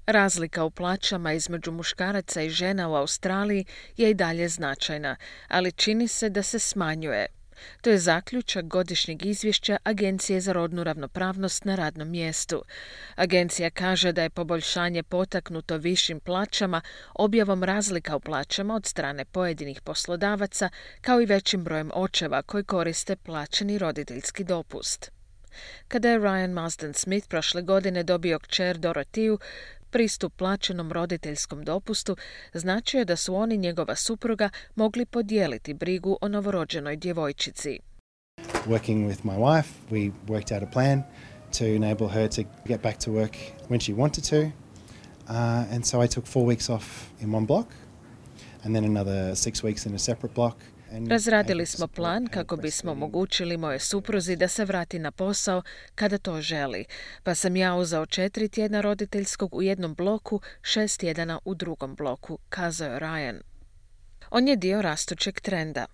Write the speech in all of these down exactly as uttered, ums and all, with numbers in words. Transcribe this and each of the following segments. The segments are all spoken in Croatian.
Razlika u plaćama između muškaraca i žena u Australiji je i dalje značajna, ali čini se da se smanjuje. To je zaključak godišnjeg izvješća Agencije za rodnu ravnopravnost na radnom mjestu. Agencija kaže da je poboljšanje potaknuto višim plaćama, objavom razlika u plaćama od strane pojedinih poslodavaca, kao i većim brojem očeva koji koriste plaćeni roditeljski dopust. Kada je Ryan Marsden-Smith prošle godine dobio kćer Dorotiju, pristup plaćenom roditeljskom dopustu značio je da su on i njegova supruga mogli podijeliti brigu o novorođenoj djevojčici. Working with my wife, we worked out a plan to enable her to get back to work when she wanted to. Uh, and so I took four weeks off in one block and then another six weeks in a separate block. Razradili smo plan kako bismo omogućili moje supruzi da se vrati na posao kada to želi, pa sam ja uzeo četiri tjedna roditeljskog u jednom bloku, šest tjedana u drugom bloku, kazao je Ryan. On je dio rastućeg trenda.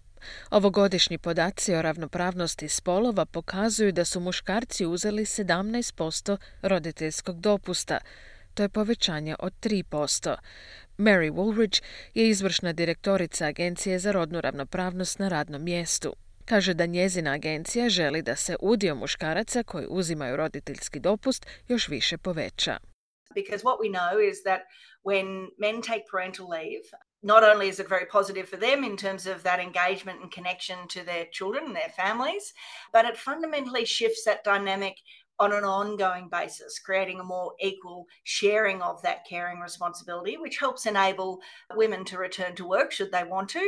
Ovogodišnji podaci o ravnopravnosti spolova pokazuju da su muškarci uzeli sedamnaest posto roditeljskog dopusta. To je povećanje od tri posto. Mary Woolridge je izvršna direktorica Agencije za rodnu ravnopravnost na radnom mjestu. Kaže da njezina agencija želi da se udio muškaraca koji uzimaju roditeljski dopust još više poveća. Because what we know is that when men take parental leave, not only is it very positive for them in terms of that engagement and connection to their children and their families, but it fundamentally shifts that dynamic on an ongoing basis, creating a more equal sharing of that caring responsibility, which helps enable women to return to work should they want to,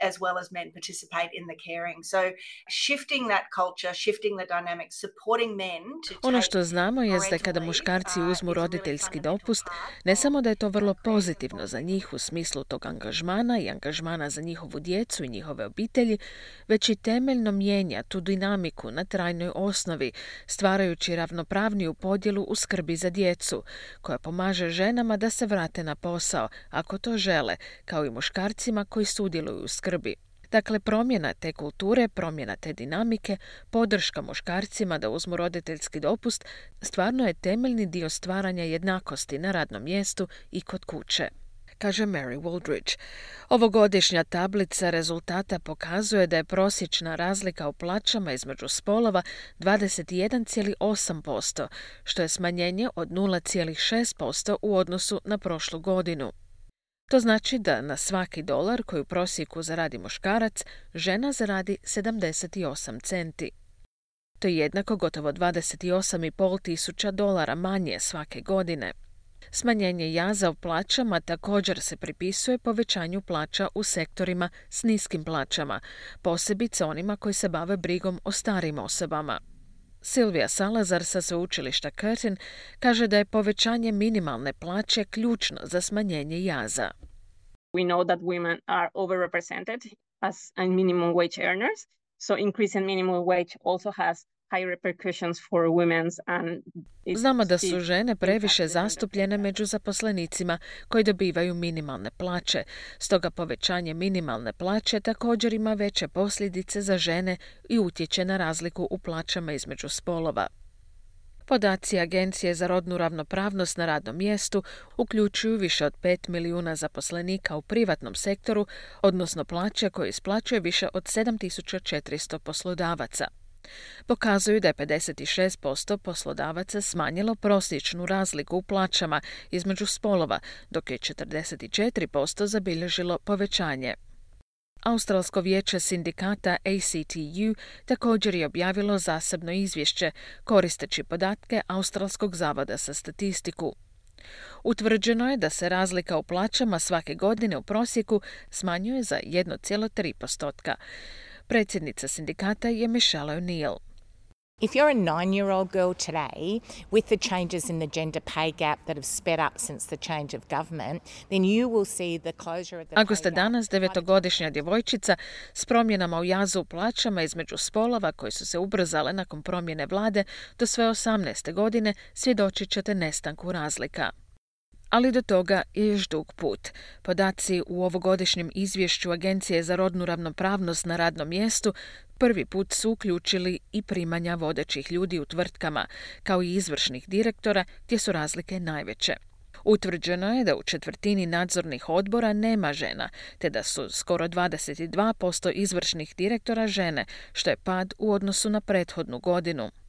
as well as men participate in the caring. So shifting that culture, shifting the dynamics, supporting men to take Ono što znamo je da kada muškarci uzmu roditeljski dopust, ne samo da je to vrlo pozitivno za njih u smislu tog angažmana i angažmana za njihovu djecu i njihove obitelji, već i temeljno mijenja tu dinamiku na trajnoj osnovi, stvarajući ravnopravniju podjelu u skrbi za djecu, koja pomaže ženama da se vrate na posao, ako to žele, kao i muškarcima koji sudjeluju u skrbi. Dakle, promjena te kulture, promjena te dinamike, podrška muškarcima da uzmu roditeljski dopust, stvarno je temeljni dio stvaranja jednakosti na radnom mjestu i kod kuće, kaže Mary Woolridge. Ovogodišnja tablica rezultata pokazuje da je prosječna razlika u plaćama između spolova dvadeset jedan zarez osam posto, što je smanjenje od nula zarez šest posto u odnosu na prošlu godinu. To znači da na svaki dolar koji u prosjeku zaradi muškarac, žena zaradi sedamdeset osam centi. To je jednako gotovo dvadeset osam i pol tisuća dolara manje svake godine. Smanjenje jaza u plaćama također se pripisuje povećanju plaća u sektorima s niskim plaćama, posebice onima koji se bave brigom o starim osobama. Silvija Salazar sa sveučilišta Curtin kaže da je povećanje minimalne plaće ključno za smanjenje jaza. We know that women are overrepresented as minimum wage earners, so increasing minimum wage also has high repercussions for women's and Znamo da su žene previše zastupljene među zaposlenicima koji dobivaju minimalne plaće, stoga povećanje minimalne plaće također ima veće posljedice za žene i utječe na razliku u plaćama između spolova. Podaci Agencije za rodnu ravnopravnost na radnom mjestu uključuju više od pet milijuna zaposlenika u privatnom sektoru, odnosno plaće koje isplaćuje više od sedam tisuća četiristo poslodavaca. Pokazuju da je pedeset šest posto poslodavaca smanjilo prosječnu razliku u plaćama između spolova, dok je četrdeset četiri posto zabilježilo povećanje. Australsko vijeće sindikata A C T U također je objavilo zasebno izvješće koristeći podatke Australskog zavoda za statistiku. Utvrđeno je da se razlika u plaćama svake godine u prosjeku smanjuje za jedan zarez tri posto. Predsjednica sindikata je Michelle O'Neill. If you're a nine-year-old girl today, with the changes in the gender pay gap that have sped up since the change of government, then you will see the closure of the Ako ste danas devetogodišnja djevojčica s promjenama u jazu u plaćama između spolova koje su se ubrzale nakon promjene vlade do sve osamnaeste godine, svjedočit ćete nestanku razlika. Ali do toga je još dug put. Podaci u ovogodišnjem izvješću Agencije za rodnu ravnopravnost na radnom mjestu prvi put su uključili i primanja vodećih ljudi u tvrtkama, kao i izvršnih direktora, gdje su razlike najveće. Utvrđeno je da u četvrtini nadzornih odbora nema žena, te da su skoro dvadeset dva posto izvršnih direktora žene, što je pad u odnosu na prethodnu godinu.